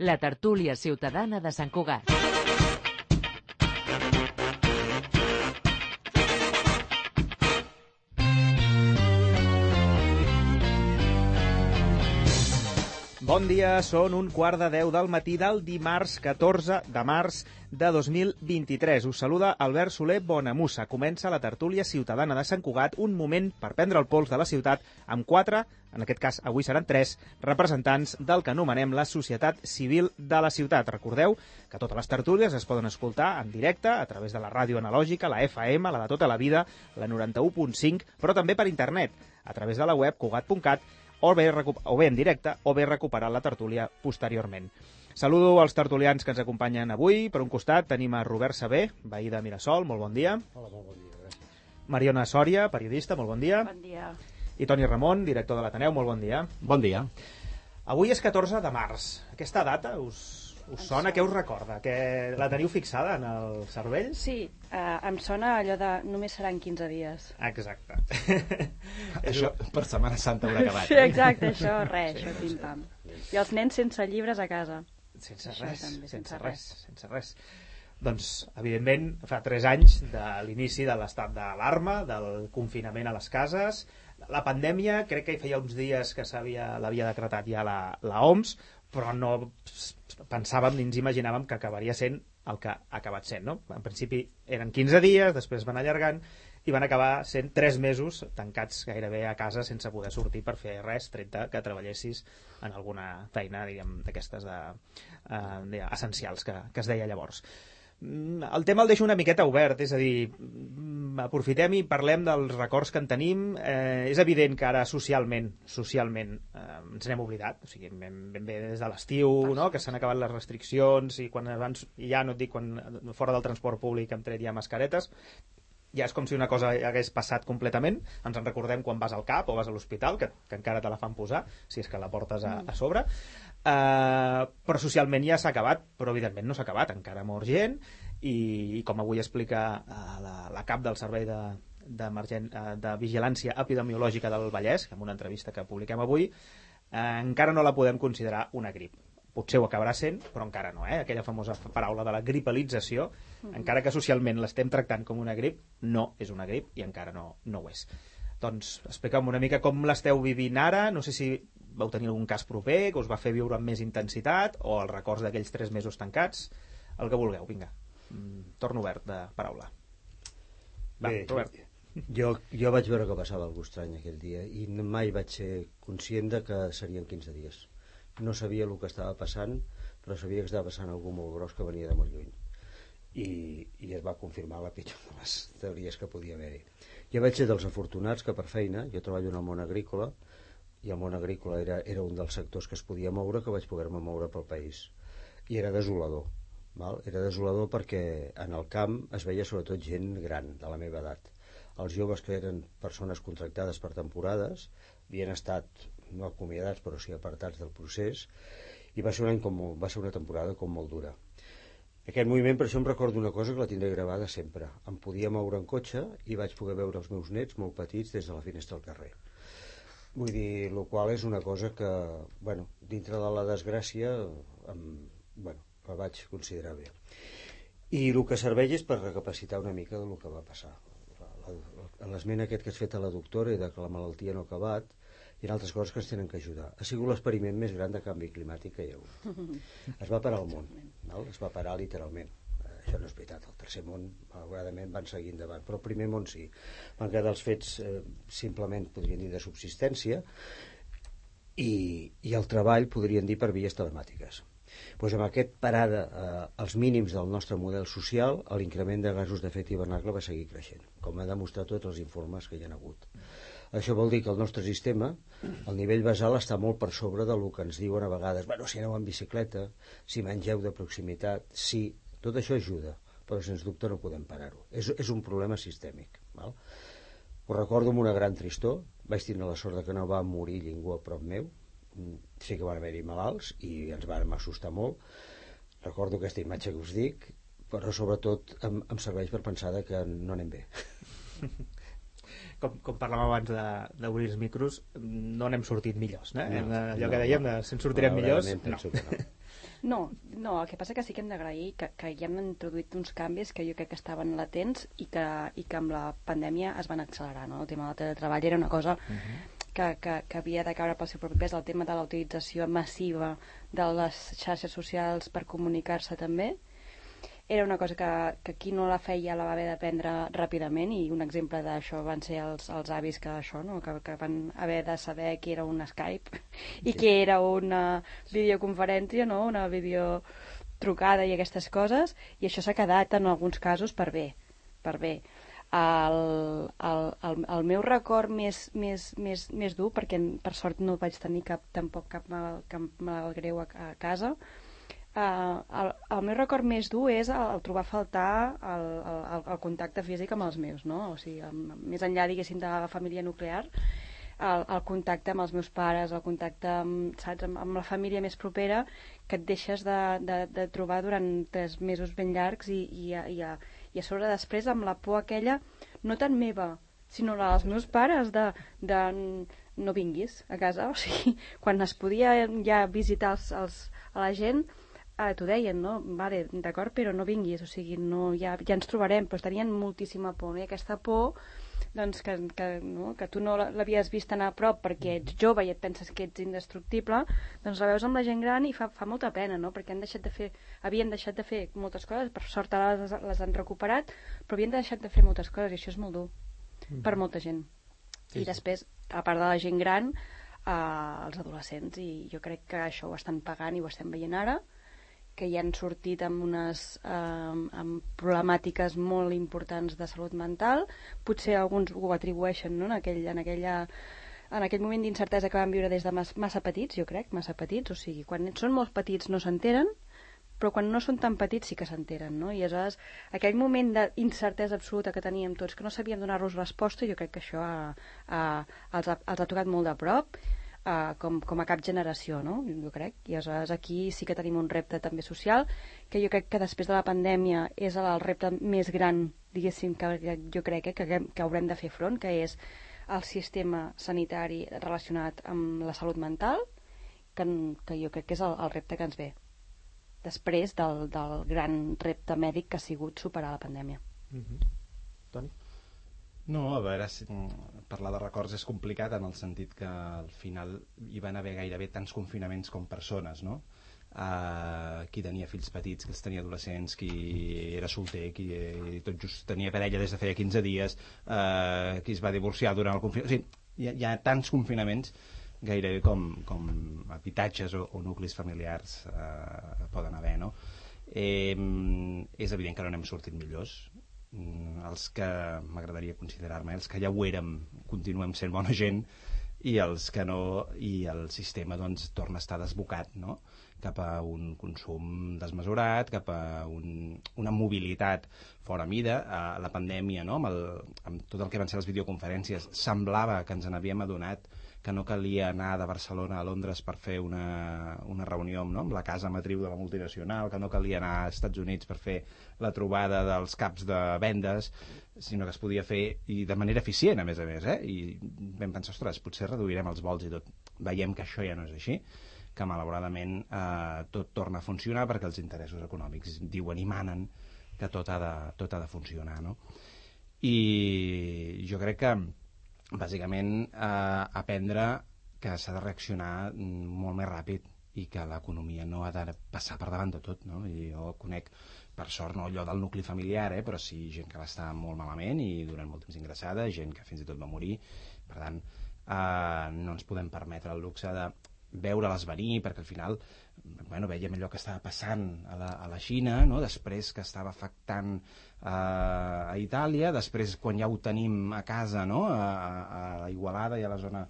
la tertúlia ciutadana de Sant Cugat. Bon dia, són 1:15 del matí del dimarts 14 de març de 2023. Us saluda Albert Soler Bonamussa. Comença la tertúlia ciutadana de Sant Cugat, un moment per prendre el pols de la ciutat amb 4, en aquest cas avui seran 3, representants del que anomenem la societat civil de la ciutat. Recordeu que totes les tertúlies es poden escoltar en directe a través de la ràdio analògica, la FM, la de tota la vida, la 91.5, però també per internet, a través de la web cugat.cat, o bé en directe, o bé recuperar la tertúlia posteriorment. Saludo als tertulians que ens acompanyen avui. Per un costat tenim a Robert Saber, veí de Mirasol, molt bon dia. Hola, molt bon dia, gràcies. Mariona Sòria, periodista, molt bon dia. Bon dia. I Toni Ramon, director de l'Ateneu, molt bon dia. Bon dia. Avui és 14 de març. Aquesta data us sona? Què us recorda? Que la teniu fixada en el cervell? Sí, em sona allò de només seran 15 dies. Exacte. Això per Setmana Santa haurà acabat. Sí, exacte, això, això, pim-pam. I els nens sense llibres a casa. Sense Això res, també, sense res. Doncs, evidentment, fa 3 anys de l'inici de l'estat d'alarma, del confinament a les cases. La pandèmia, crec que hi feia uns dies que l'havia decretat ja la OMS, però no pensàvem ni ens imaginàvem que acabaria sent el que ha acabat sent, no? En principi eren 15 dies, després van allargant i van acabar sent 3 mesos tancats gairebé a casa sense poder sortir per fer res, tret que treballessis en alguna feina, diguem, d'aquestes essencials que es deia llavors. El tema el deixo una miqueta obert, és a dir, aprofitem i parlem dels records que en tenim. És evident que ara socialment ens n'hem oblidat, o sigui, ben bé des de l'estiu, no? Que s'han acabat les restriccions i quan abans, ja no et dic quan fora del transport públic hem tret ja mascaretes, ja és com si una cosa hagués passat completament. Ens en recordem quan vas al CAP o vas a l'hospital, que encara te la fan posar, si és que la portes a sobre. Però socialment ja s'ha acabat, però evidentment no s'ha acabat, encara mor gent i com avui explica la cap del Servei de Vigilància Epidemiològica del Vallès, en una entrevista que publiquem avui, encara no la podem considerar una grip. Potser ho acabarà sent, però encara no, aquella famosa paraula de la gripalització, encara que socialment l'estem tractant com una grip, no és una grip i encara no ho és. Doncs explica'm una mica com l'esteu vivint ara, no sé si vau tenir algun cas proper que us va fer viure amb més intensitat o els records d'aquells 3 mesos tancats, el que vulgueu, vinga. Torno obert de paraula. Va, Robert. Jo vaig veure que passava alguna cosa estrany aquell dia i mai vaig ser conscient de que serien 15 dies. No sabia el que estava passant, però sabia que estava passant algú molt gros que venia de molt lluny. I es va confirmar la pitjor de les teories que podia haver-hi. Jo vaig ser dels afortunats que per feina, jo treballo en el món agrícola, i el món agrícola era un dels sectors que es podia moure, que vaig poder-me moure pel país. I era desolador. Era desolador perquè en el camp es veia sobretot gent gran, de la meva edat. Els joves que eren persones contractades per temporades havien estat, no acomiadats, però sí apartats del procés, i va ser una temporada com molt dura. Aquest moviment, per això em recordo una cosa que la tindré gravada sempre. Em podia moure en cotxe i vaig poder veure els meus nets molt petits des de la finestra del carrer. Vull dir, el qual és una cosa que, dintre de la desgràcia, la vaig considerar bé. I el que serveix és per recapacitar una mica del que va passar. L'esment aquest que has fet a la doctora i de que la malaltia no ha acabat, i altres coses que ens tenen que ajudar. Ha sigut l'experiment més gran de canvi climàtic que hi ha hagut. Es va parar el món, es va parar literalment. Això no és veritat, el tercer món malauradament van seguir endavant, però el primer món sí. Van quedar els fets simplement, podríem dir, de subsistència, i el treball podríem dir per vies telemàtiques. Doncs amb aquest parada als mínims del nostre model social, l'increment de gasos d'efecte hivernacle va seguir creixent, com han demostrat tots els informes que hi ha hagut. Això vol dir que el nostre sistema, el nivell basal, està molt per sobre del que ens diuen a vegades, si aneu en bicicleta, si mengeu de proximitat, sí, tot això ajuda, però sens dubte no podem parar-ho. És un problema sistèmic. Ho recordo amb una gran tristor, vaig tenir la sort que no va morir ningú a prop meu, sí que van haver-hi malalts i ens vam assustar molt. Recordo aquesta imatge que us dic, però sobretot em serveix per pensar que no anem bé. Com parlàvem abans d'obrir els micros, no n'hem sortit millors, no? Allò que dèiem, si en sortirem millors, no. No, el que passa que sí que hem d'agrair que ja han introduït uns canvis que jo crec que estaven latents i que amb la pandèmia es van accelerar, no? El tema del teletreball era una cosa que havia de caure pel seu propi pes, el tema de la utilització massiva de les xarxes socials per comunicar-se també. Era una cosa que qui no la feia la va haver d'aprendre ràpidament, i un exemple d'això van ser els avis que van haver de saber què era un Skype i què era una videoconferència, no? Una videotrucada i aquestes coses, i això s'ha quedat en alguns casos per bé. El meu record més dur, perquè per sort no vaig tenir tampoc cap mal greu a casa, el meu record més dur és el trobar a faltar el contacte físic amb els meus, no? O sigui, més enllà, diguéssim, de la família nuclear, el contacte amb els meus pares, el contacte amb la família més propera, que et deixes de trobar durant 3 mesos ben llargs, i a sobre després amb la por aquella, no tant meva, sinó la dels meus pares, de no vinguis a casa. O sigui, quan es podia ja visitar a la gent, t'ho deien, no? Vale, d'acord, però no vinguis, o sigui, no, ja ens trobarem, però tenien moltíssima por, no? I aquesta por, doncs, que tu no l'havies vist anar a prop perquè ets jove i et penses que ets indestructible, doncs la veus amb la gent gran i fa molta pena, no? Perquè havien deixat de fer moltes coses, per sort ara les han recuperat, però havien deixat de fer moltes coses, i això és molt dur per molta gent. I després, a part de la gent gran, els adolescents, i jo crec que això ho estan pagant i ho estem veient ara, que ja han sortit amb amb problemàtiques molt importants de salut mental. Potser alguns ho atribueixen, no? en aquell moment d'incertesa que van viure des de massa petits, jo crec, massa petits, o sigui, quan són molt petits no s'enteren, però quan no són tan petits sí que s'enteren, no? I aleshores aquell moment d'incertesa absoluta que teníem tots, que no sabíem donar-los resposta, jo crec que això els ha tocat molt de prop, com a cap generació, no? Jo crec. I aleshores aquí sí que tenim un repte també social, que jo crec que després de la pandèmia és el repte més gran, diguéssim, que jo crec que haurem de fer front, que és el sistema sanitari relacionat amb la salut mental, que jo crec que és el repte que ens ve després del gran repte mèdic que ha sigut superar la pandèmia. Toni? No, a veure, parlar de records és complicat en el sentit que al final hi van haver gairebé tants confinaments com persones, no? Qui tenia fills petits, qui els tenia adolescents, qui era solter, qui tot just tenia parella des de feia 15 dies, qui es va divorciar durant el confinament. O sigui, hi ha tants confinaments gairebé com habitatges o nuclis familiars poden haver, no? És evident que no n'hem sortit millors. Els que m'agradaria considerar-me, els que ja ho érem, continuem sent bona gent, i els que no, i el sistema doncs torna a estar desbocat, no? Cap a un consum desmesurat, cap a una mobilitat fora mida. La pandèmia, no? Amb tot el que van ser les videoconferències, semblava que ens n'havíem adonat que no calia anar de Barcelona a Londres per fer una reunió, no? Amb la casa matriu de la multinacional, que no calia anar als Estats Units per fer la trobada dels caps de vendes, sinó que es podia fer i de manera eficient, a més, i vam pensar, ostres, potser reduirem els vols i tot. Veiem que això ja no és així, que malauradament tot torna a funcionar perquè els interessos econòmics diuen i manen que tot ha de funcionar, no? I jo crec que bàsicament aprendre que s'ha de reaccionar molt més ràpid i que l'economia no ha de passar per davant de tot, no? I jo conec, per sort, no allò del nucli familiar, però sí gent que va estar molt malament i durant molt temps ingressada, gent que fins i tot va morir. Per tant, no ens podem permetre el luxe de veure-les venir, perquè al final veiem allò que estava passant a la Xina, no? Després que estava afectant a Itàlia, després quan ja ho tenim a casa, no? A Igualada i a la zona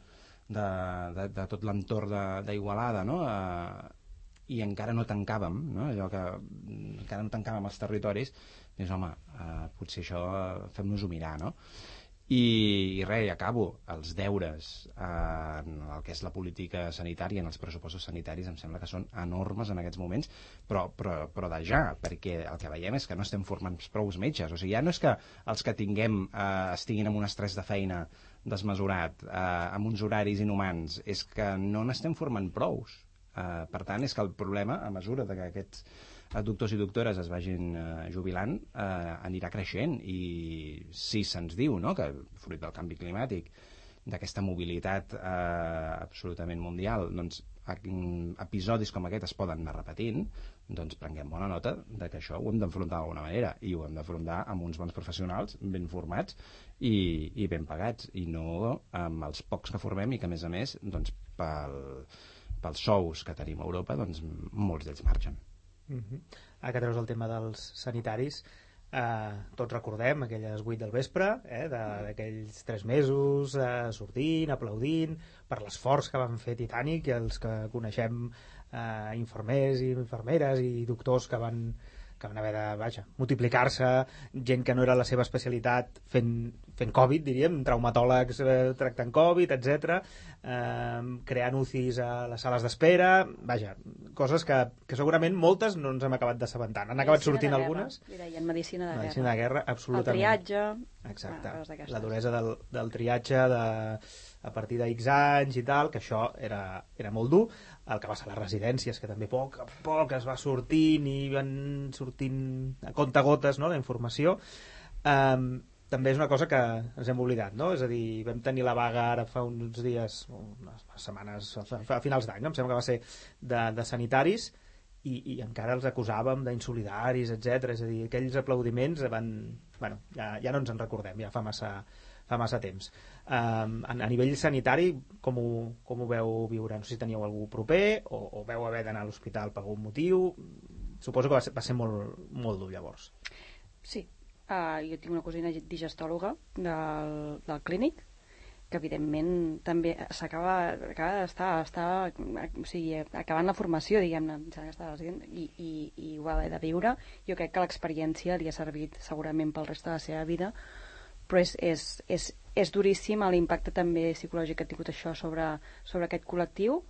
de tot l'entorn d'Igualada, no? I encara no tancàvem, no? Allò que encara no tancàvem els territoris, doncs home, potser això fem-nos-ho mirar, no? I res, acabo, els deures en el que és la política sanitària, en els pressupostos sanitaris, em sembla que són enormes en aquests moments, però de ja, perquè el que veiem és que no estem formant prou metges. O sigui, ja no és que els que tinguem estiguin amb un estrès de feina desmesurat, amb uns horaris inhumans, és que no n'estem formant prous. Per tant, és que el problema, a mesura que aquests doctors i doctores es vagin jubilant, anirà creixent. I si se'ns diu, no?, que fruit del canvi climàtic, d'aquesta mobilitat absolutament mundial, doncs episodis com aquest es poden anar repetint, doncs prenguem bona nota de que això ho hem d'enfrontar d'alguna manera, i ho hem d'afrontar amb uns bons professionals ben formats i ben pagats, i no amb els pocs que formem i que, a més, doncs, pels sous que tenim a Europa, doncs molts d'ells marxen. Ara que treus el tema dels sanitaris, tots recordem aquelles 8 del vespre, d'aquells 3 mesos sortint, aplaudint per l'esforç que van fer Titanic, i els que coneixem infermers i infermeres i doctors que van haver de multiplicar-se, gent que no era la seva especialitat fent Covid, diríem, traumatòlegs tractant Covid, etc., creant UCIs a les sales d'espera, coses que segurament moltes no ens hem acabat d'assabentar. Han acabat sortint algunes. Li deien medicina de guerra. Medicina de guerra, absolutament. El triatge. Exacte. La duresa del triatge a partir d'X anys i tal, que això era molt dur. El que va ser les residències, que també a poc es va sortint i van sortint a comptagotes, no?, la informació. També és una cosa que ens hem oblidat, no? És a dir, vam tenir la vaga ara fa uns dies, unes setmanes, a finals d'any, no? Em sembla que va ser de sanitaris, i encara els acusàvem d'insolidaris, etc. És a dir, aquells aplaudiments ja no ens en recordem, ja fa massa temps. A nivell sanitari, com ho veu viure? No sé si teníeu algú proper o veu haver d'anar a l'hospital per algun motiu. Suposo que va ser molt, molt dur llavors. Sí, jo tinc una cosina digestòloga del clínic, que evidentment també acaba d'estar acabant la formació, diguem-ne, i ho va haver de viure. Jo crec que l'experiència li ha servit segurament pel rest de la seva vida, però és duríssim l'impacte també psicològic que ha tingut això sobre aquest col·lectiu.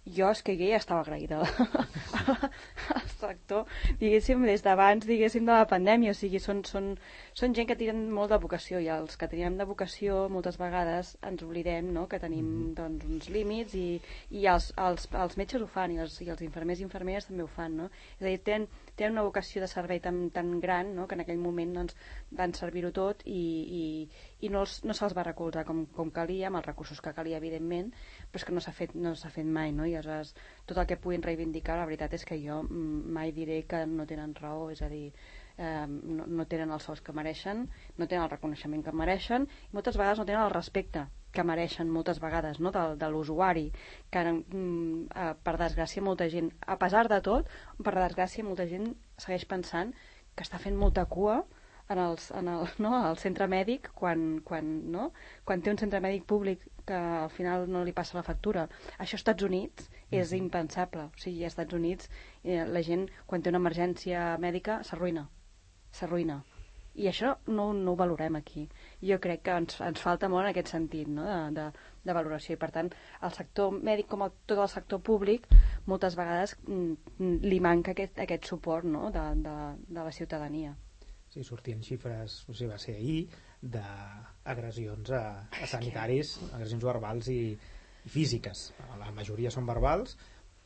Jo ja estava agraïda al sector, diguéssim, des d'abans, diguéssim, de la pandèmia. O sigui, són gent que tenen molt de vocació, i els que tenim de vocació moltes vegades ens oblidem, no?, que tenim doncs, uns límits, i els metges ho fan, i els infermers i infermeres també ho fan, no? És a dir, tenen una vocació de servei tan gran, no?, que en aquell moment doncs, van servir-ho tot, i no se'ls va recolzar com calia, amb els recursos que calia, evidentment, però és que no s'ha fet mai, no? I aleshores tot el que puguin reivindicar, la veritat és que jo mai diré que no tenen raó, és a dir, no tenen els sous que mereixen, no tenen el reconeixement que mereixen, i moltes vegades no tenen el respecte que mereixen, moltes vegades, no?, de l'usuari, que per desgràcia molta gent, a pesar de tot, per desgràcia molta gent segueix pensant que està fent molta cua al centre mèdic quan té un centre mèdic públic que al final no li passa la factura. Això als Estats Units és impensable. O sigui, als Estats Units la gent, quan té una emergència mèdica, s'arruïna. I això no ho valorem aquí. Jo crec que ens falta molt en aquest sentit, no?, de valoració. I per tant, el sector mèdic, com tot el sector públic, moltes vegades li manca aquest suport, no?, de la ciutadania. Sí, sortien xifres, no sé, va ser ahir, d'agressions a sanitaris, agressions verbals i físiques. La majoria són verbals,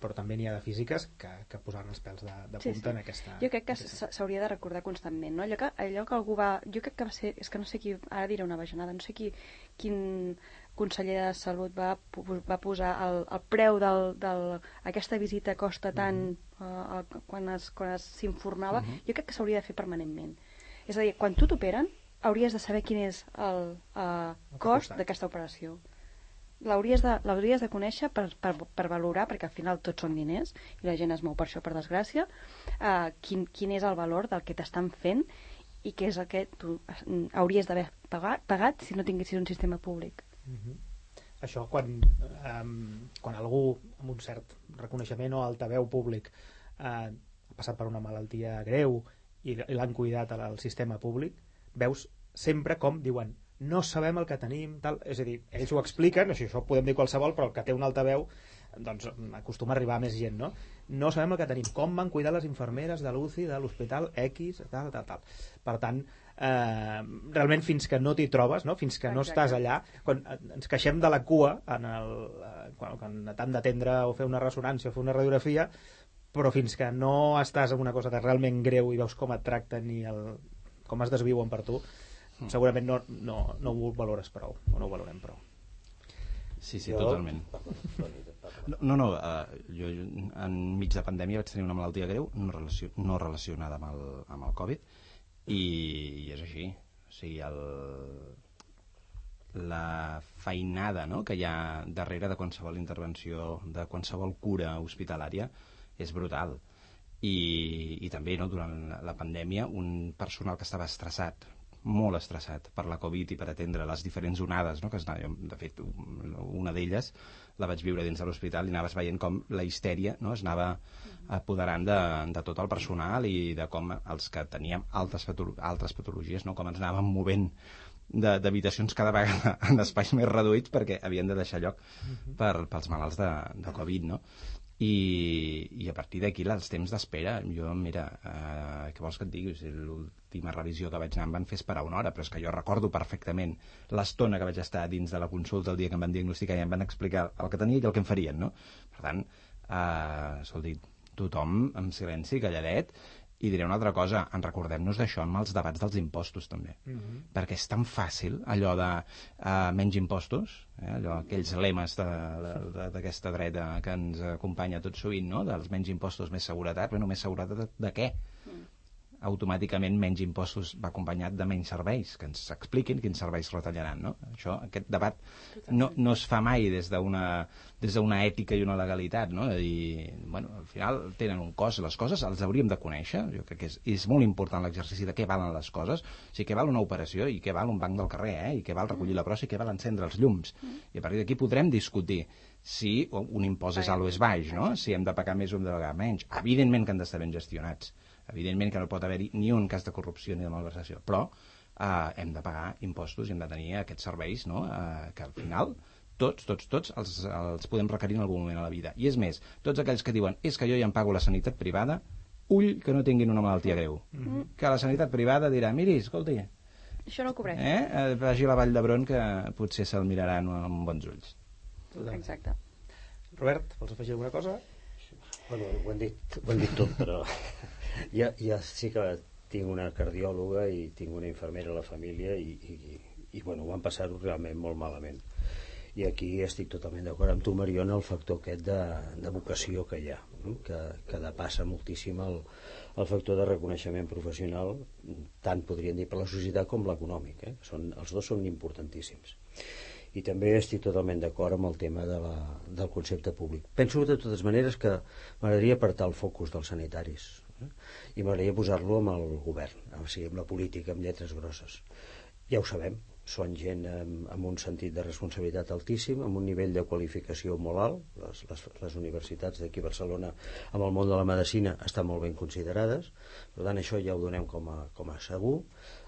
però també n'hi ha de físiques que posaran els pèls de punta en aquesta... Jo crec que s'hauria de recordar constantment, no? Allò que algú va... Jo crec que va ser... És que no sé qui... Ara diré una bajanada. No sé quin conseller de Salut va posar el preu aquesta visita costa tant quan s'informava. Jo crec que s'hauria de fer permanentment. És a dir, quan tu t'operen, hauries de saber quin és el cost d'aquesta operació. L'hauries de conèixer per valorar, perquè al final tots són diners i la gent es mou per això, per desgràcia, quin és el valor del que t'estan fent i què és el que tu hauries d'haver pagat si no tinguessis un sistema públic. Això quan algú amb un cert reconeixement o altaveu públic ha passat per una malaltia greu i l'han cuidat al sistema públic, veus sempre com diuen no sabem el que tenim, tal. És a dir, ells ho expliquen, això podem dir qualsevol, però el que té un altaveu doncs acostuma a arribar a més gent, no? No sabem el que tenim, com van cuidar les infermeres de l'UCI, de l'hospital X, tal. Per tant, realment fins que no t'hi trobes, no? Fins que no estàs allà, quan ens queixem de la cua quan t'han d'atendre o fer una ressonància o fer una radiografia, però fins que no estàs en una cosa que és realment greu i veus com et tracten i com es desviuen per tu, segurament no ho valores prou, o no ho valorem prou. Sí, totalment. Jo enmig de pandèmia vaig tenir una malaltia greu no relacionada amb el Covid i és així. O sigui, la feinada, no?, que hi ha darrere de qualsevol intervenció, de qualsevol cura hospitalària, és brutal. I també, no, durant la pandèmia, un personal que estava estressat, molt estressat per la Covid i per atendre les diferents onades, no?, que de fet una d'elles la vaig viure dins de l'hospital i anaves veient com la histèria, no?, es anava apoderant de tot el personal i de com els que teníem altres patologies, no?, com ens anàvem movent d'habitacions cada vegada en espais més reduïts perquè havien de deixar lloc pels malalts de Covid, no? I a partir d'aquí els temps d'espera, jo, mira, què vols que et digui? L'última revisió que vaig anar em van fer esperar una hora, però és que jo recordo perfectament l'estona que vaig estar dins de la consulta el dia que em van diagnosticar i em van explicar el que tenia i el que em farien, no? Per tant, escolti, tothom en silenci, calladet. I diré una altra cosa, en recordem-nos d'això amb els debats dels impostos també, perquè és tan fàcil allò de menys impostos, aquells lemes d'aquesta dreta que ens acompanya tot sovint, no?, dels menys impostos, més seguretat. Bueno, més seguretat de què? Automàticament menys impostos va acompanyat de menys serveis, que ens expliquin quins serveis retallaran, no? Aquest debat no es fa mai des d'una ètica i una legalitat, no? De dir, bueno, al final tenen un cost, les coses els hauríem de conèixer. Jo crec que és molt important l'exercici de què valen les coses, o sigui, què val una operació i què val un banc del carrer, i què val recollir la brossa i què val encendre els llums, i a partir d'aquí podrem discutir si un impost és alt o és baix, no? Si hem de pagar més o hem de pagar menys. Evidentment que han d'estar ben gestionats, evidentment que no pot haver-hi ni un cas de corrupció ni de malversació, però hem de pagar impostos i hem de tenir aquests serveis, no?, que al final tots els podem requerir en algun moment a la vida. I és més, tots aquells que diuen és que jo ja em pago la sanitat privada, ull que no tinguin una malaltia greu, que la sanitat privada dirà, miri, escolti, això no ho cobreix, vagi a la Vall d'Hebron que potser se'l miraran amb bons ulls. Exacte. Robert, vols afegir alguna cosa? Bueno, ho hem dit tot, però ja sí que tinc una cardiòloga i tinc una infermera a la família i bueno, ho van passar-ho realment molt malament. I aquí estic totalment d'acord amb tu, Mariona, el factor aquest de vocació que hi ha, no? que depassa moltíssim el factor de reconeixement professional, tant podríem dir per la societat com l'econòmic, els dos són importantíssims. I també estic totalment d'acord amb el tema del concepte públic. Penso de totes maneres que m'agradaria apartar el focus dels sanitaris, i m'agradaria posar-lo amb el govern, o sigui, amb la política, amb lletres grosses. Ja ho sabem, són gent amb un sentit de responsabilitat altíssim, amb un nivell de qualificació molt alt. Les universitats d'aquí a Barcelona amb el món de la medicina estan molt ben considerades, per tant això ja ho donem com a segur.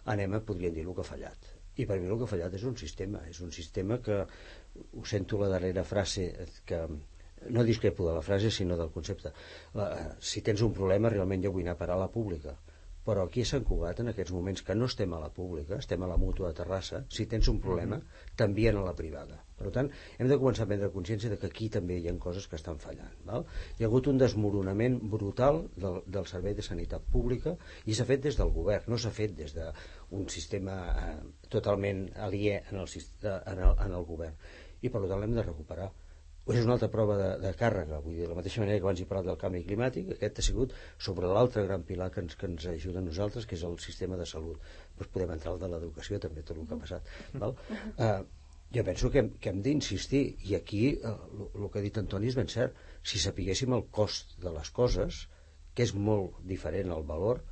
Podríem dir el que ha fallat. I per mi el que ha fallat és un sistema que, ho sento la darrera frase, que no discrepo de la frase sinó del concepte, si tens un problema realment jo vull anar a parar a la pública, però aquí a Sant Cugat en aquests moments que no estem a la pública, estem a la Mútua de Terrassa, si tens un problema t'envien a la privada. Per tant, hem de començar a prendre consciència de que aquí també hi ha coses que estan fallant, val? Hi ha hagut un desmoronament brutal del servei de sanitat pública i s'ha fet des del govern, no s'ha fet des d'un sistema totalment aliè en el govern, i per tant l'hem de recuperar. És una altra prova de càrrega, vull dir, de la mateixa manera que abans he parlat del canvi climàtic, aquest ha sigut sobre l'altre gran pilar que ens ajuda a nosaltres, que és el sistema de salut. Doncs podem entrar al de l'educació també, tot el que ha passat, val? Jo penso que hem d'insistir, i aquí el que ha dit Antoni és ben cert. Si sapiguéssim el cost de les coses, que és molt diferent al valor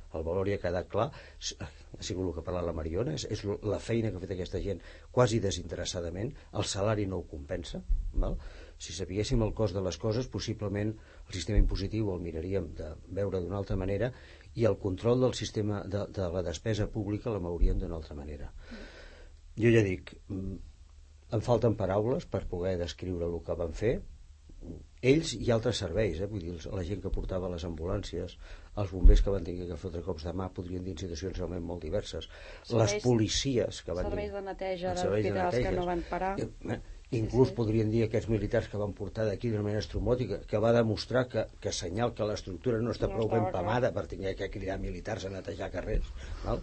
ja ha quedat clar, ha sigut el que ha parlat la Mariona, és la feina que ha fet aquesta gent quasi desinteressadament, el salari no ho compensa, val? Si sapiguéssim el cost de les coses, possiblement el sistema impositiu el miraríem de veure d'una altra manera i el control del sistema de la despesa pública la mouríem d'una altra manera. Jo ja dic, em falten paraules per poder descriure el que van fer, ells i altres serveis, vull dir, la gent que portava les ambulàncies, els bombers que van tenir que fotre cops de mà, podrien dir situacions realment molt diverses, les policies que van serveis de neteja serveis de d'hospitals que no van parar, inclús podrien dir aquests militars que van portar d'aquí d'una manera estromòtica, que va demostrar que senyal que l'estructura no està prou ben pamada per tenir que cridar militars a netejar carrers, val?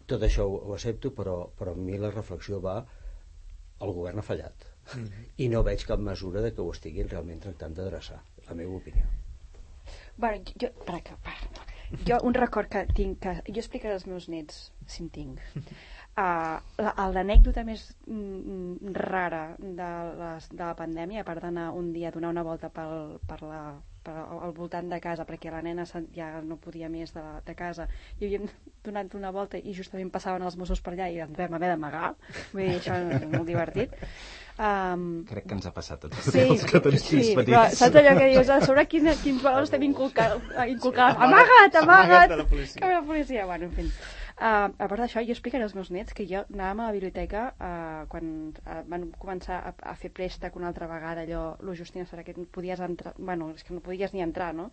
Tot això ho accepto, però a mi la reflexió va: el govern ha fallat. I no veig cap mesura de que ho estiguin realment tractant d'adreçar, la meva opinió. Bueno, jo un record que tinc, que jo explicaré als meus nets, si en tinc. L'anècdota més rara de la pandèmia, a part d'anar un dia a donar una volta al voltant de casa, perquè la nena ja no podia més de casa, i havíem donat una volta i justament passaven els Mossos per allà i ens vam haver d'amagar. Vull dir, això és molt divertit. Crec que ens ha passat a tots els que tenim fills petits. Però saps allò que dius, a sobre quins valors estem inculcant? Amagat! Que la policia, bueno, en fi. A part d'això, jo explicaré als meus nets que jo anàvem a la biblioteca quan van començar a fer préstec una altra vegada, allò Justina serà que podies entrar, bueno, és que no podies ni entrar, no?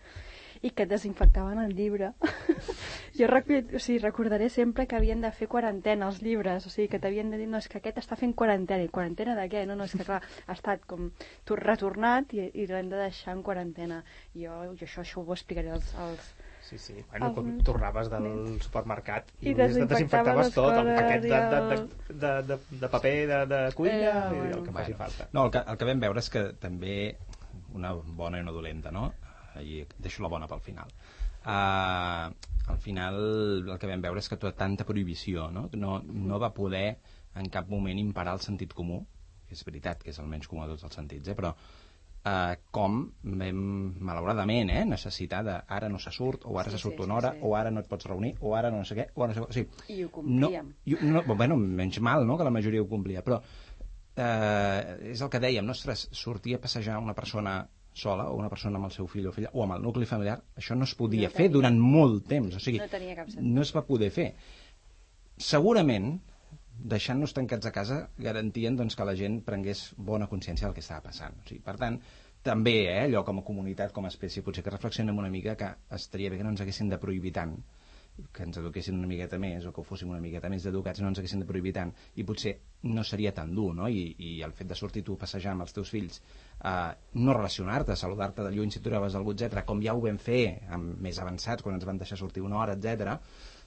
I que desinfectaven el llibre. Jo recordaré sempre que havien de fer quarantena els llibres, o sigui, que t'havien de dir, no, és que aquest està fent quarantena. I quarantena de què? No, és que clar, ha estat com retornat i l'hem de deixar en quarantena. Jo això ho explicaré als Sí. Bueno, com tornaves del supermercat i desinfectaves tot, el paquet de paper de cuina i el que faci falta. No, el que vam veure és que també una bona i una dolenta, no? I deixo la bona pel final. Al final el que vam veure és que tota tanta prohibició no va poder en cap moment imperar el sentit comú, que és veritat que és el menys comú de tots els sentits, però com vam, malauradament, necessitar de ara no se surt, o ara se surt una hora, o ara no et pots reunir, o ara no sé què, o ara no sé què. O sigui, i ho complíem. Bueno, menys mal, no?, que la majoria ho complia, però és el que dèiem, sortir a passejar una persona sola, o una persona amb el seu fill o filla, o amb el nucli familiar, això no es podia fer durant molt temps, o sigui, no tenia cap sentit. No es va poder fer. Segurament, deixant-nos tancats a casa, garantien que la gent prengués bona consciència del que estava passant. O sigui, per tant, també, allò com a comunitat, com a espècie, potser que reflexionem una mica que estaria bé que no ens haguessin de prohibir tant, que ens eduquessin una miqueta més, o que fóssim una miqueta més educats, no ens haguessin de prohibir tant, i potser no seria tan dur, no? I el fet de sortir tu a passejar amb els teus fills, no relacionar-te, saludar-te de lluny si tu trobaves algú, etc., com ja ho vam fer més avançats, quan ens van deixar sortir una hora, etc.,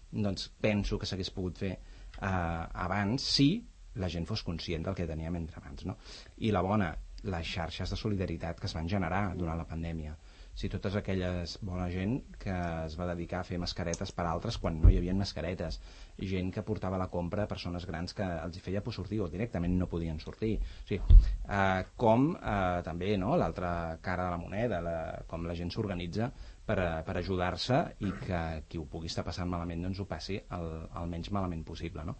doncs penso que s'hagués pogut fer abans si la gent fos conscient del que teníem entre mans, no? I la bona, les xarxes de solidaritat que es van generar durant la pandèmia. Si totes aquelles bona gent que es va dedicar a fer mascaretes per altres quan no hi havia mascaretes, gent que portava la compra a persones grans que els hi feia por sortir o directament no podien sortir. O sigui, com també, no?, l'altra cara de la moneda, com la gent s'organitza per ajudar-se i que qui ho pugui estar passant malament doncs ho passi el menys malament possible, no?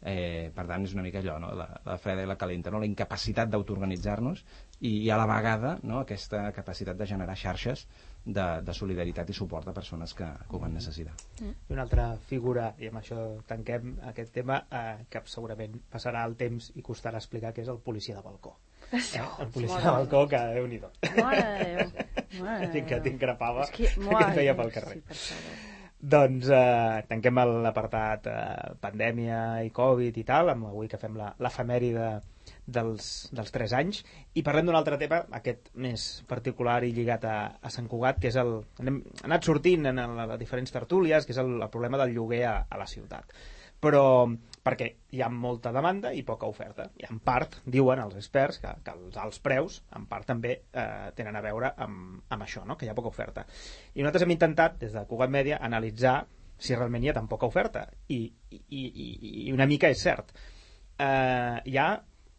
Per tant és una mica allò, no?, la freda i la calenta, no?, la incapacitat d'autoorganitzar-nos i a la vegada, no?, aquesta capacitat de generar xarxes de solidaritat i suport a persones que ho van necessitar. I una altra figura, i amb això tanquem aquest tema, que segurament passarà el temps i costarà explicar, que és el policia de balcó. El policia de balcó, que Déu-n'hi-do. Mare de Déu. Que t'increpava, que et feia pel carrer. Doncs tanquem l'apartat pandèmia i Covid i tal, avui que fem l'efemèride dels 3 anys, i parlem d'un altre tema, aquest més particular i lligat a Sant Cugat, que és hem anat sortint en les diferents tertúlies, que és el problema del lloguer a la ciutat. Però perquè hi ha molta demanda i poca oferta, i en part diuen els experts que els alts preus en part també tenen a veure amb això, no?, que hi ha poca oferta. I nosaltres hem intentat des de Cugat Mèdia analitzar si realment hi ha tan poca oferta, i una mica és cert. Hi ha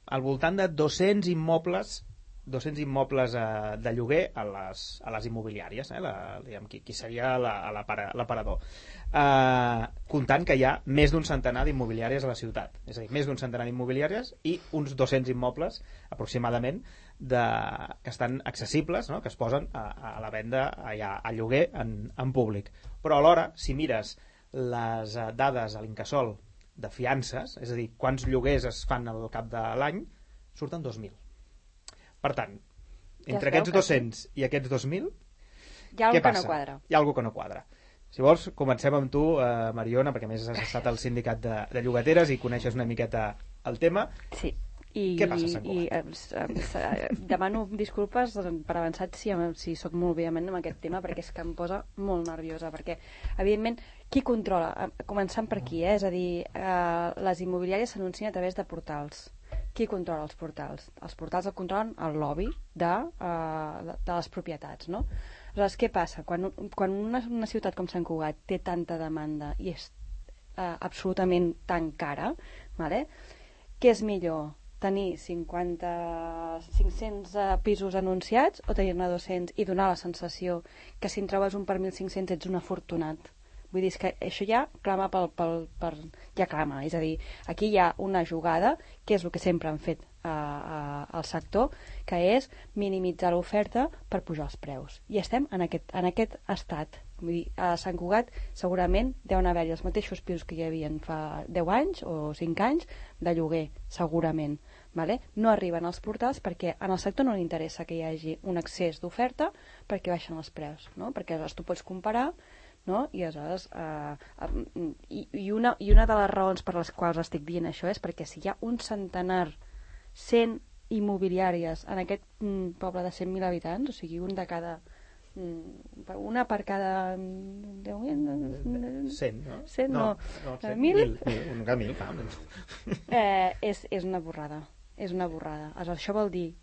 al voltant de 200 immobles de lloguer a les immobiliàries, qui seria l'aparador, comptant que hi ha més d'un centenar d'immobiliàries a la ciutat, és a dir, més d'un centenar d'immobiliàries i uns 200 immobles aproximadament que estan accessibles, no?, que es posen a la venda a lloguer en públic. Però alhora, si mires les dades a l'Incasòl de fiances, és a dir, quants lloguers es fan al cap de l'any, surten 2.000. Per tant, Entre aquests 200 i aquests 2.000, què passa? No quadra. Hi ha alguna que no quadra. Si vols, comencem amb tu, Mariona, perquè a més has estat al sindicat de llogateres i coneixes una miqueta el tema. Sí. Què passa a Sant Cugat? Demano disculpes per avançat si sóc molt vehement amb aquest tema, perquè és que em posa molt nerviosa, perquè evidentment qui controla? Començant per aquí, és a dir, les immobiliàries s'anuncien a través de portals. Qui controla els portals? Els portals el controlen el lobby de les propietats, no? Aleshores, què passa? Quan una ciutat com Sant Cugat té tanta demanda i és absolutament tan cara, vale? Què és millor? Tenir 500 pisos anunciats o tenir-ne 200 i donar la sensació que si en trobes un per 1.500 ets un afortunat? Vull dir, que això ja clama ja clama, és a dir, aquí hi ha una jugada, que és el que sempre han fet al sector, que és minimitzar l'oferta per pujar els preus. I estem en aquest estat. Vull dir, a Sant Cugat segurament deuen haver-hi els mateixos pisos que hi havia fa 10 anys o 5 anys de lloguer, segurament. Vale? No arriben als portals perquè en el sector no li interessa que hi hagi un excés d'oferta perquè baixen els preus, no? Perquè aleshores tu pots comparar, no? I aleshores i una de les raons per les quals estic dient això és perquè si hi ha un centenar 100 immobiliàries en aquest poble de 100.000 habitants, o sigui una per cada 10.000 100, no? 100, no. 1.000? És una borrada. És una borrada. Això vol dir,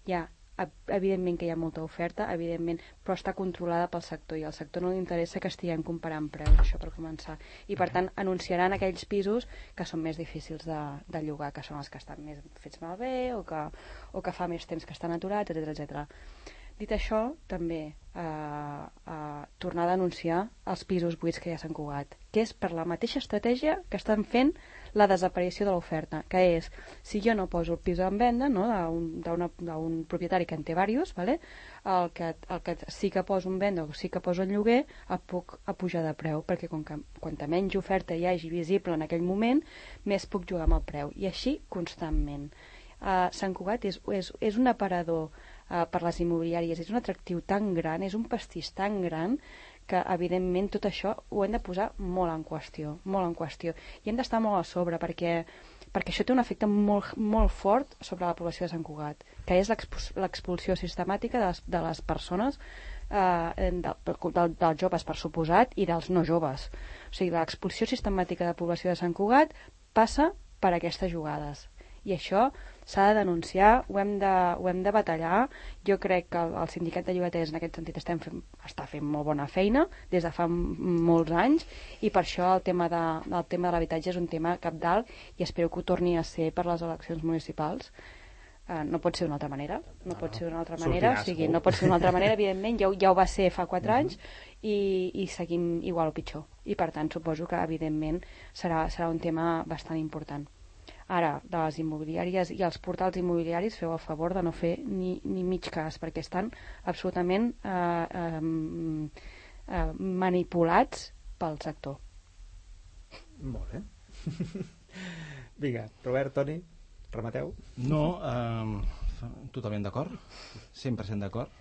evidentment que hi ha molta oferta, evidentment, però està controlada pel sector i al sector no li interessa que estiguem comparant preus, això per començar. I per tant anunciaran aquells pisos que són més difícils de llogar, que són els que estan més fets malbé o que fa més temps que estan aturats, etc. Dit això, també tornar a denunciar els pisos buits que hi ha a Sant Cugat, que és per la mateixa estratègia que estan fent la desaparició de l'oferta, que és, si jo no poso el pis en venda, no, d'un propietari que en té diversos, vale? el que sí que poso en venda o sí que poso en lloguer, el puc pujar de preu, perquè quanta menys oferta hi hagi visible en aquell moment, més puc jugar amb el preu. I així constantment. Sant Cugat és un aparador per les immobiliàries, és un atractiu tan gran, és un pastís tan gran, que evidentment tot això ho hem de posar molt en qüestió, i hem d'estar molt a sobre perquè això té un efecte molt, molt fort sobre la població de Sant Cugat, que és l'expulsió sistemàtica de les persones, dels joves per suposat i dels no joves. O sigui, l'expulsió sistemàtica de la població de Sant Cugat passa per aquestes jugades. I això s'ha de denunciar, ho hem de batallar. Jo crec que el sindicat de llogaters en aquest sentit està fent molt bona feina des de fa molts anys, i per això el tema de l'habitatge és un tema cabdal i espero que ho torni a ser per les eleccions municipals. No pot ser d'una altra manera, no pot ser d'una altra manera, evidentment, ja ho va ser fa 4 anys i seguim igual o pitjor, i per tant suposo que evidentment serà un tema bastant important. Ara, de les immobiliàries i els portals immobiliaris, feu el favor de no fer ni mig cas, perquè estan absolutament manipulats pel sector. Molt bé. Vinga, Robert, Toni, remateu? No, totalment d'acord, 100% d'acord.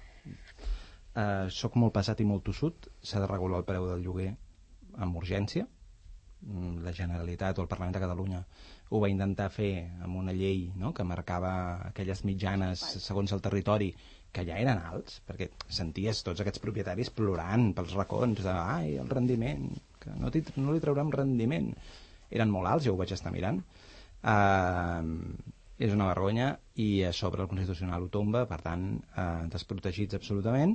Soc molt pesat i molt tossut. S'ha de regular el preu del lloguer amb urgència. La Generalitat o el Parlament de Catalunya ho va intentar fer amb una llei, no?, que marcava aquelles mitjanes segons el territori, que ja eren alts, perquè senties tots aquests propietaris plorant pels racons de ai, el rendiment, que no li traurem rendiment. Eren molt alts, jo ho vaig estar mirant. És una vergonya, i a sobre el Constitucional ho tomba, per tant, desprotegits absolutament,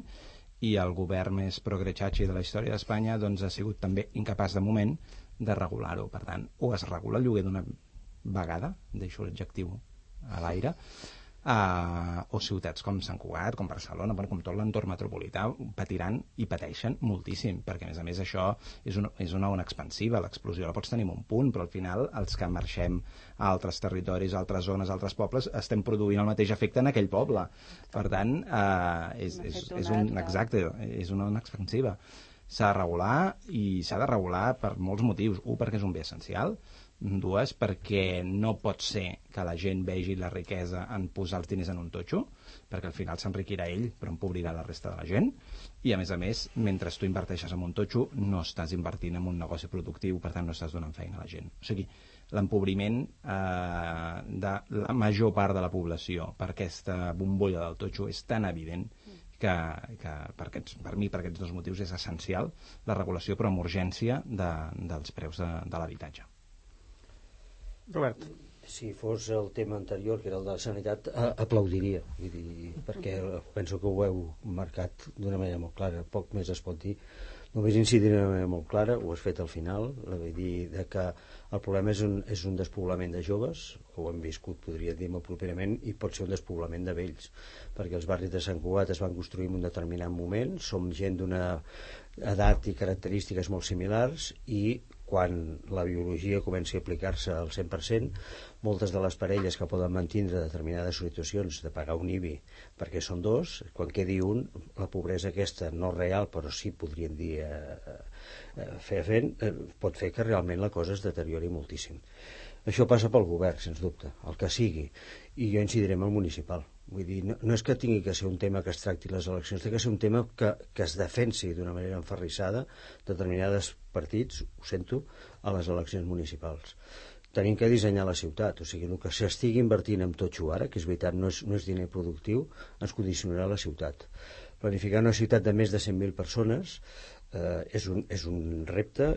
i el govern més progre-chachi de la història d'Espanya doncs ha sigut també incapaç de moment de regular-ho. Per tant, o es regula el lloguer d'una vegada, deixo l'adjectiu a l'aire, o ciutats com Sant Cugat, com Barcelona, com tot l'entorn metropolità patiran i pateixen moltíssim, perquè a més això és una ona expansiva. L'explosió la pots tenir en un punt, però al final els que marxem a altres territoris, a altres zones, a altres pobles, estem produint el mateix efecte en aquell poble. Per tant, és una ona expansiva. S'ha de regular, i s'ha de regular per molts motius. Un, perquè és un bé essencial. Dues, perquè no pot ser que la gent vegi la riquesa en posar els diners en un totxo, perquè al final s'enriquirà ell però empobrirà la resta de la gent, i a més, mentre tu inverteixes en un totxo no estàs invertint en un negoci productiu, per tant no estàs donant feina a la gent. O sigui, l'empobriment de la major part de la població per aquesta bombolla del totxo és tan evident que per mi, per aquests dos motius, és essencial la regulació, però amb urgència, dels preus de l'habitatge. Robert. Si fos el tema anterior, que era el de la sanitat, aplaudiria, perquè penso que ho heu marcat d'una manera molt clara, poc més es pot dir. Només incidiré d'una manera molt clara, ho has fet al final, vull dir que el problema és un despoblament de joves, que ho hem viscut, podria dir molt properament, i pot ser un despoblament de vells, perquè els barris de Sant Cugat es van construir en un determinat moment, som gent d'una edat i característiques molt similars, i quan la biologia comenci a aplicar-se al 100%, moltes de les parelles que poden mantindre determinades situacions de pagar un IBI perquè són dos, quan quedi un, la pobresa aquesta, no real, però sí podríem dir pot fer que realment la cosa es deteriori moltíssim. Això passa pel govern, sens dubte, el que sigui, i jo incidiré en el municipal. Vull dir, no és que tingui que ser un tema que es tracti les eleccions, té que ser un tema que es defensi d'una manera enferrissada determinats partits, ho sento, a les eleccions municipals. Tenim que dissenyar la ciutat, o sigui, el que s'estigui invertint en totxo ara, que és veritat, no és diner productiu, ens condicionarà la ciutat. Planificar una ciutat de més de 100.000 persones és un repte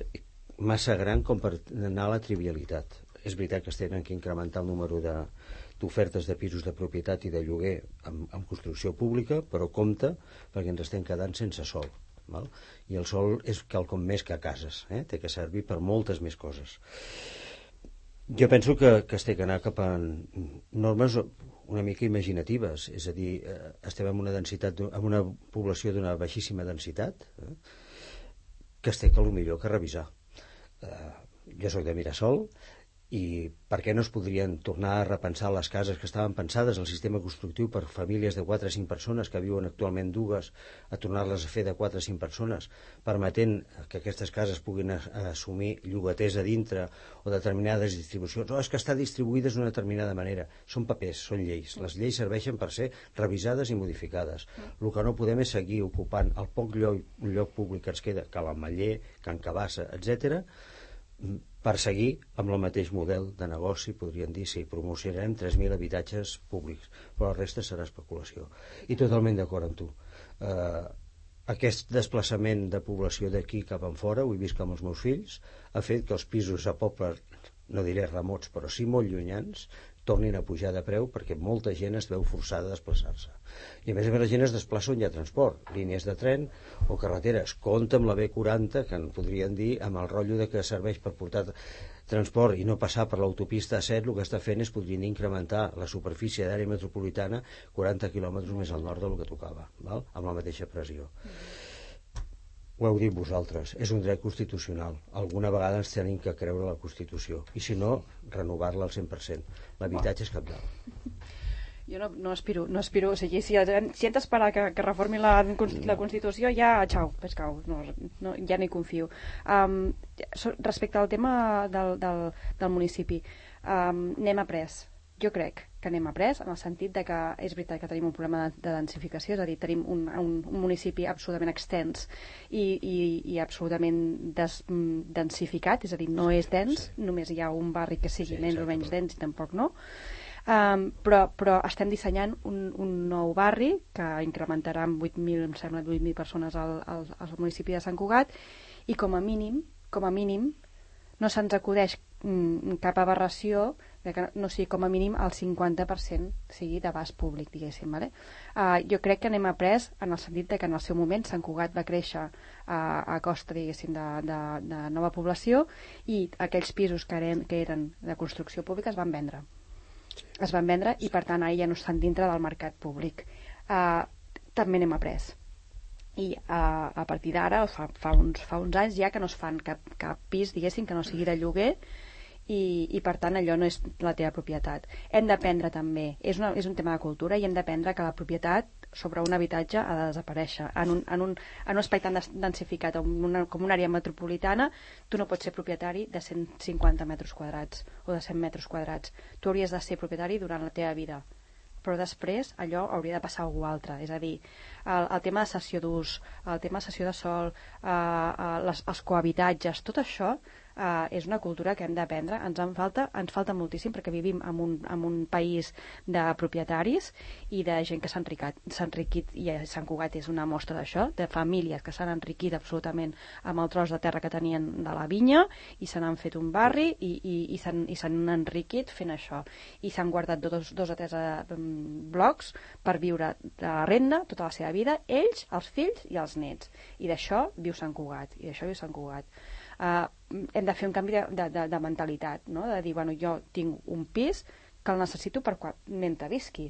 massa gran com per anar a la trivialitat. És veritat que es tenen que incrementar el número d'ofertes de pisos de propietat i de lloguer amb construcció pública, però compte, perquè ens estem quedant sense sol. Val? I el sol és quelcom més que cases, té que servir per moltes més coses. Jo penso que es té que anar cap a normes una mica imaginatives, és a dir, estem en una població d'una baixíssima densitat, que es té que potser que revisar. Jo soc de Mirasol, i per què no es podrien tornar a repensar les cases que estaven pensades, el sistema constructiu per famílies de 4 o 5 persones que viuen actualment dues, a tornar-les a fer de 4 o 5 persones, permetent que aquestes cases puguin assumir llogaters a dintre o determinades distribucions. No, és que està distribuïdes d'una determinada manera. Són papers, són lleis. Les lleis serveixen per ser revisades i modificades. El que no podem és seguir ocupant el poc lloc públic que ens queda, que l'Ametller, Can Cabassa, etc., per seguir amb el mateix model de negoci, podríem dir, sí, promocionarem 3.000 habitatges públics, però la resta serà especulació. I totalment d'acord amb tu. Aquest desplaçament de població d'aquí cap enfora, ho he vist amb els meus fills, ha fet que els pisos a pobles, no diré remots, però sí molt llunyans, tornin a pujar de preu perquè molta gent es veu forçada a desplaçar-se. I a més la gent es desplaça on hi ha transport, línies de tren o carreteres. Compte amb la B40, que en podrien dir, amb el rotllo de que serveix per portar transport i no passar per l'autopista A7, el que està fent és podrien incrementar la superfície d'àrea metropolitana 40 quilòmetres més al nord del que tocava, val? Amb la mateixa pressió. Ho heu dit vosaltres, és un dret constitucional. Alguna vegada ens tenim que creure la Constitució. I si no, renovar-la al 100%. L'habitatge és cabdal. Jo no aspiro, o sigui, si hem d'esperar que reformi la Constitució, ja, xau, pescau, no, ja no hi confio. Respecte al tema del municipi, n'hem après. Jo crec que n'hem après en el sentit de que és veritat que tenim un problema de densificació, és a dir, tenim un municipi absolutament extens i absolutament densificat, és a dir, no és dens, només hi ha un barri que sigui més o menys dens i tampoc no. Però estem dissenyant un nou barri que incrementarà amb 8.000, em sembla, 8.000 persones al municipi de Sant Cugat, i com a mínim no se'ns acudeix cap aberració de que no sigui com a mínim el 50% sigui d'abast públic, diguéssim, vale? Jo crec que n'hem après en el sentit de que en el seu moment Sant Cugat va créixer a costa, diguéssim, de nova població, i aquells pisos que eren de construcció pública es van vendre i per tant ara ja no estan dintre del mercat públic. També n'hem après, i a partir d'ara fa uns anys ja que no es fan cap pis, diguéssim, que no sigui de lloguer, i per tant allò no és la teva propietat. Hem d'aprendre també, és un tema de cultura, i hem d'aprendre que la propietat sobre un habitatge ha de desaparèixer. En un espai tan densificat com una àrea metropolitana, tu no pots ser propietari de 150 metres quadrats o de 100 metres quadrats. Tu hauries de ser propietari durant la teva vida, però després allò hauria de passar a algú altre. És a dir, el tema de cessió d'ús, el tema de cessió de sòl, els cohabitatges, tot això és una cultura que hem d'aprendre. Ens falta moltíssim, perquè vivim en un país de propietaris i de gent que s'ha enriquit, i Sant Cugat és una mostra d'això, de famílies que s'han enriquit absolutament amb el tros de terra que tenien de la vinya i se n'han fet un barri i s'han enriquit fent això, i s'han guardat dos o tres blocs per viure de la renda tota la seva vida, ells, els fills i els nets, i d'això viu Sant Cugat, hem de fer un canvi de mentalitat, no? De dir, bueno, jo tinc un pis que el necessito mentre visqui.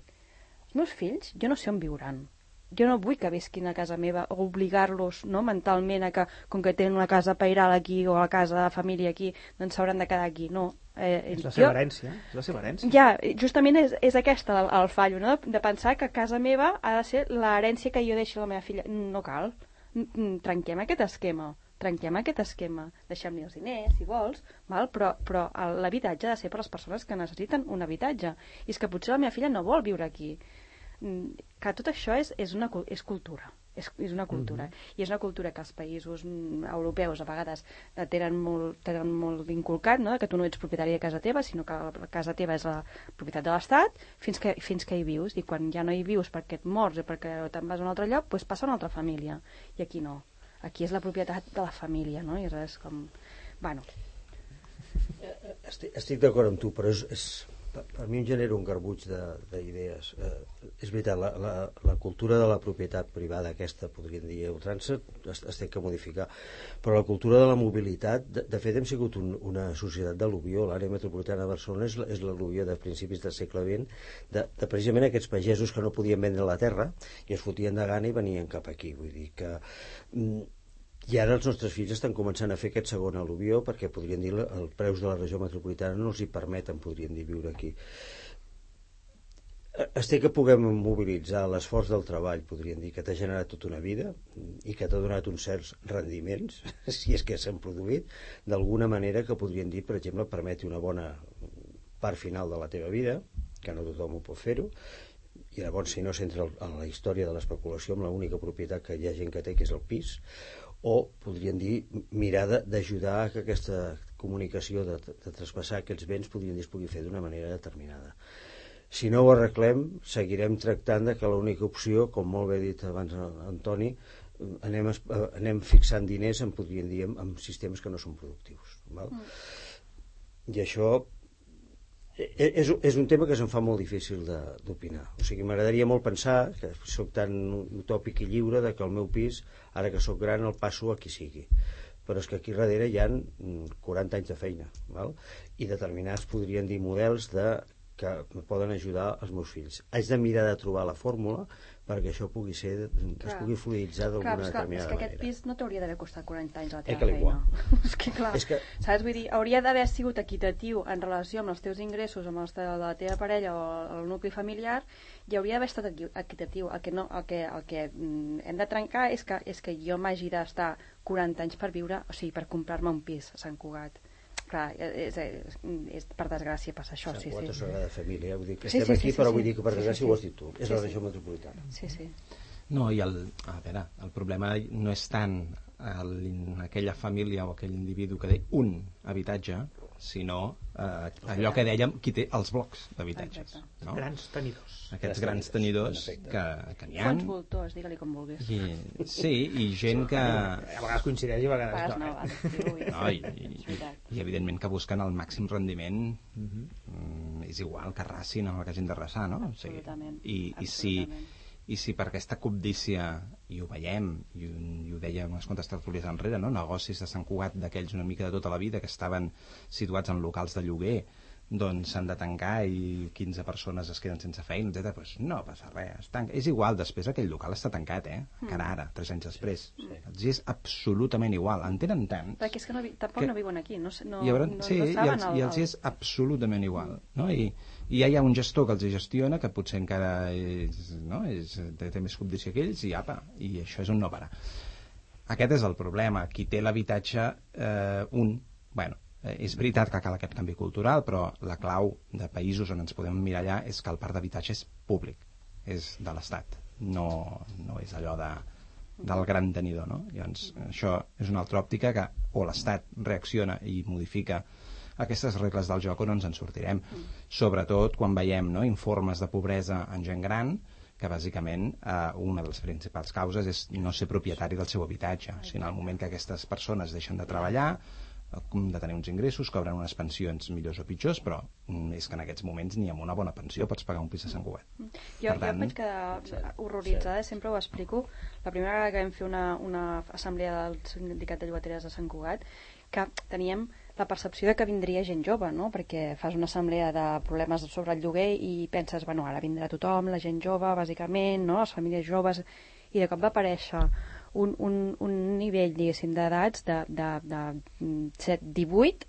Els meus fills, jo no sé on viuran. Jo no vull que visquin a casa meva o obligar-los, no, mentalment a que, com que tenen una casa pairal aquí o la casa de família aquí, doncs s'hauran de quedar aquí. No. És la seva herència. Ja, justament és aquesta el fallo, no? De pensar que casa meva ha de ser l'herència que jo deixi a la meva filla. No cal. Trenquem aquest esquema, deixem-li els diners si vols, però l'habitatge ha de ser per a les persones que necessiten un habitatge, i és que potser la meva filla no vol viure aquí. Que tot això és cultura, és una cultura, i és una cultura que els països europeus a vegades tenen molt inculcat, no? Que tu no ets propietari de casa teva, sinó que la casa teva és la propietat de l'Estat fins que hi vius, i quan ja no hi vius perquè et mors o perquè te'n vas a un altre lloc, doncs passa a una altra família, i aquí no. Aquí és la propietat de la família, no? I és com... Bueno. Estic d'acord amb tu, però per mi em genera un garbuig d'idees. És veritat, la cultura de la propietat privada, aquesta, podríem dir, ultrança, es té que modificar. Però la cultura de la mobilitat, de fet, hem sigut una societat d'al·luvió. L'àrea metropolitana de Barcelona és l'al·luvió de principis del segle XX, de precisament aquests pagesos que no podien vendre la terra i es fotien de gana i venien cap aquí. Vull dir que... I ara els nostres fills estan començant a fer aquest segon al·luvió, perquè podrien dir els preus de la regió metropolitana no els hi permeten, podrien dir, viure aquí. Es té que puguem mobilitzar l'esforç del treball, podríem dir, que t'ha generat tota una vida i que t'ha donat uns certs rendiments, si és que s'han produït, d'alguna manera que podrien dir, per exemple, permeti una bona part final de la teva vida, que no tothom ho pot fer-ho, i llavors si no s'entra en la història de l'especulació amb l'única propietat que hi ha gent que té, que és el pis, o podríem dir mirar d'ajudar a que aquesta comunicació de traspassar aquests béns podríem dir es pugui fer d'una manera determinada. Si no ho arreglem, seguirem tractant de que l'única opció, com molt bé ha dit abans Antoni, anem fixant diners podríem dir, en sistemes que no són productius, val? I això és un tema que se'm fa molt difícil d'opinar. O sigui, m'agradaria molt pensar que soc tan utòpic i lliure de que el meu pis, ara que soc gran, el passo a qui sigui. Però és que aquí darrere hi ha 40 anys de feina, val? I determinats podrien dir models que poden ajudar els meus fills. Haig de mirar de trobar la fórmula perquè això pugui ser, es pugui fluiditzar d'alguna determinada manera. És que aquest pis no t'hauria d'haver costat 40 anys la teva feina. És que clar, saps? Vull dir, hauria d'haver sigut equitatiu en relació amb els teus ingressos, amb els de la teva parella o el nucli familiar, i hauria d'haver estat equitatiu. El que hem de trencar és que jo m'hagi d'estar 40 anys per viure, o sigui, per comprar-me un pis a Sant Cugat. Clar, per desgràcia passa això. Sant Cugat o Sagrada Família, vull dir que estem aquí, però vull dir que per desgràcia ho has dit tu, és la regió metropolitana. Sí. No, i el problema no és tant aquella família o aquell individu que té un habitatge, sinó allò que dèiem, qui té els blocs d'habitatges, no? Grans tenidors. Aquests grans tenidors que n'hi ha. Fons voltors, digue-li com vulguis. Sí, i gent que... A vegades coincideix i a vegades no. I evidentment que busquen el màxim rendiment, és igual que arrasin o que hagin d'arrasar, no? I si per aquesta cobdícia, i ho veiem, i ho dèiem unes quantes tertúlies enrere, no? Negocis de Sant Cugat d'aquells una mica de tota la vida que estaven situats en locals de lloguer doncs s'han de tancar i 15 persones es queden sense feina, etc. Pues no passa res, és igual, després aquell local està tancat, encara ara, 3 anys després. Els és absolutament igual, en tenen tant. Perquè és que tampoc no viuen aquí, no saben i els és absolutament igual, no? I ja hi ha un gestor que els gestiona, que potser encara té més condició que ells, i això és un no parar. Aquest és el problema, qui té l'habitatge, és veritat que cal aquest canvi cultural, però la clau de països on ens podem mirar allà és que el parc d'habitatge és públic, és de l'Estat, no és allò del gran tenidor, no? Llavors, això és una altra òptica que o l'Estat reacciona i modifica aquestes regles del joc o no ens en sortirem. Sobretot quan veiem informes de pobresa en gent gran, que bàsicament una de les principals causes és no ser propietari del seu habitatge. O sigui, en el moment que aquestes persones deixen de treballar, de tenir uns ingressos, cobren unes pensions millors o pitjors, però és que en aquests moments ni amb una bona pensió pots pagar un pis a Sant Cugat. Jo em vaig quedar horroritzada, sempre ho explico. La primera vegada que vam fer una assemblea del sindicat de llogateres de Sant Cugat, que teníem la percepció de que vindria gent jove, no? Perquè fas una assemblea de problemes sobre el lloguer i penses, ara vindrà tothom, la gent jove, bàsicament, no? Les famílies joves, i de cop va aparèixer un nivell, diguéssim, d'edats de 18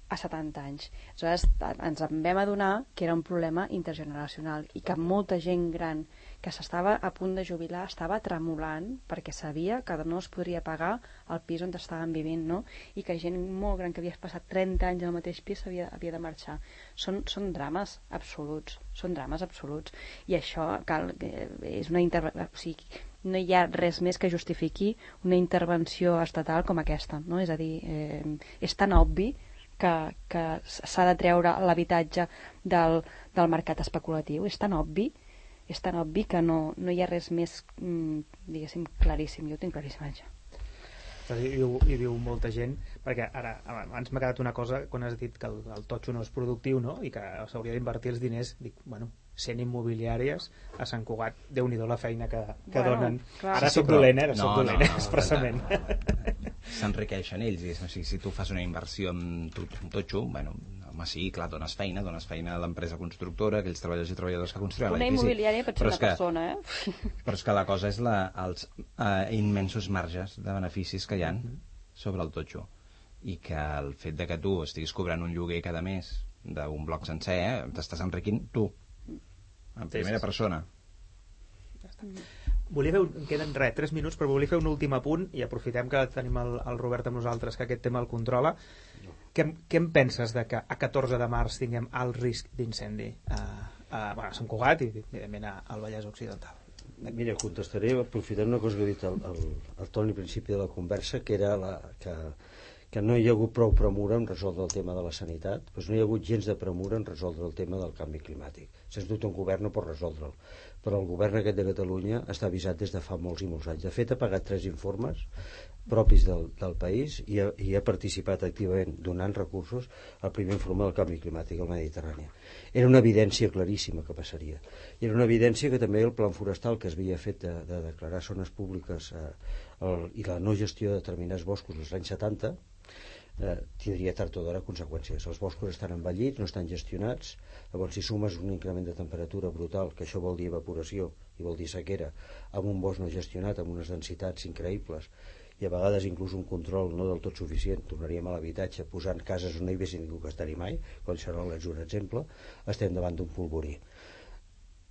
a 70 anys. Aleshores, ens en vam adonar que era un problema intergeneracional i que molta gent gran que s'estava a punt de jubilar estava tremolant perquè sabia que no es podria pagar el pis on estaven vivint, no? I que gent molt gran que havia passat 30 anys al mateix pis havia de marxar. Són drames absoluts, i això és una intervenció, o sigui, no hi ha res més que justifiqui una intervenció estatal com aquesta, no? És a dir, és tan obvi que s'ha de treure l'habitatge del mercat especulatiu, és tan obvi que no hi ha res més, diguéssim, claríssim. Jo ho tinc claríssim, això. Hi viu molta gent, perquè ara abans m'ha quedat una cosa quan has dit que el totxo no és productiu, no? I que s'hauria d'invertir els diners. Dic, 100 immobiliàries a Sant Cugat, Déu-n'hi-do la feina que donen. Clar. Ara soc dolent, expressament. S'enriqueixen ells, o sigui, si tu fas una inversió en totxo, home, sí, clar, dones feina a l'empresa constructora, aquells treballadors i treballadores que construïen l'edifici. Una immobiliària pot ser una persona, Però és que la cosa és els immensos marges de beneficis que hi ha sobre el totxo, i que el fet de que tu estiguis cobrant un lloguer cada mes d'un bloc sencer, t'estàs enriquint tu, en primera persona. Em queden 3 minuts, però volia fer un últim apunt, i aprofitem que tenim el Robert amb nosaltres, que aquest tema el controla. Què en penses de que a 14 de març tinguem alt risc d'incendi a Sant Cugat i evidentment al Vallès Occidental? Mira, contestaré aprofitant una cosa que ha dit el Toni al principi de la conversa, que era que no hi ha hagut prou premura en resoldre el tema de la sanitat, doncs no hi ha hagut gens de premura en resoldre el tema del canvi climàtic. Sens dubte un govern no pot resoldre'l, però el govern aquest de Catalunya està avisat des de fa molts i molts anys. De fet, ha pagat 3 informes propis del país i ha participat activament donant recursos al primer informe del canvi climàtic al Mediterrani. Era una evidència claríssima que passaria. I era una evidència que també el plan forestal que es havia fet de declarar zones públiques i la no gestió de determinats boscos als anys 70 tindria tard o d'hora conseqüències. Els boscos estan envellits, no estan gestionats. Llavors, si sumes un increment de temperatura brutal, que això vol dir evaporació i vol dir sequera, amb un bosc no gestionat, amb unes densitats increïbles, i a vegades inclús un control no del tot suficient, tornaríem a l'habitatge posant cases on no hi hagués ningú que estar-hi mai, Collserola és un exemple, estem davant d'un polvorí.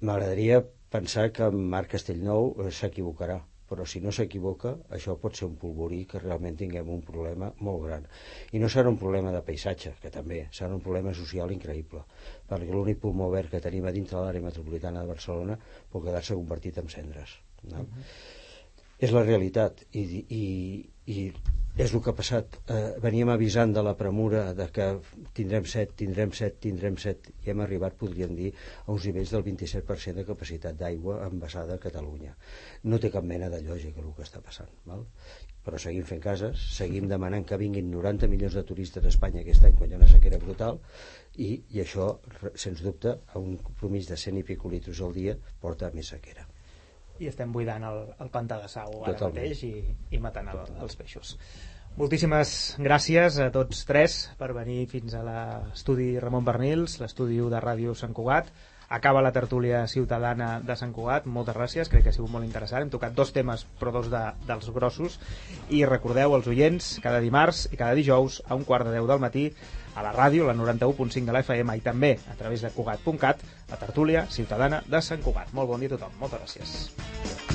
M'agradaria pensar que Marc Castellnou s'equivocarà, però si no s'equivoca, això pot ser un polvorí que realment tinguem un problema molt gran. I no serà un problema de paisatge, que també, serà un problema social increïble, perquè l'únic pulmó verd que tenim a dintre l'àrea metropolitana de Barcelona pot quedar-se convertit en cendres. No? És la realitat, i és el que ha passat. Veníem avisant de la premura de que tindrem set, i hem arribat, podríem dir, a uns nivells del 27% de capacitat d'aigua envasada a Catalunya. No té cap mena de lògica el que està passant, val? Però seguim fent cases, seguim demanant que vinguin 90 milions de turistes a Espanya aquest any quan hi ha una sequera brutal, i això, sens dubte, a un compromís de 100 i pico litres al dia porta a més sequera. I estem buidant el pantà de Sau ara mateix i matant els peixos. Moltíssimes gràcies a tots tres per venir fins a l'estudi Ramon Bernils, l'estudi de Ràdio Sant Cugat. Acaba la tertúlia ciutadana de Sant Cugat. Moltes gràcies, crec que ha sigut molt interessant. Hem tocat 2 temes, però 2 dels grossos. I recordeu als oients, cada dimarts i cada dijous a 9:15 del matí a la ràdio, la 91.5 de la FM, i també a través de Cugat.cat, la tertúlia ciutadana de Sant Cugat. Molt bon dia a tothom. Moltes gràcies.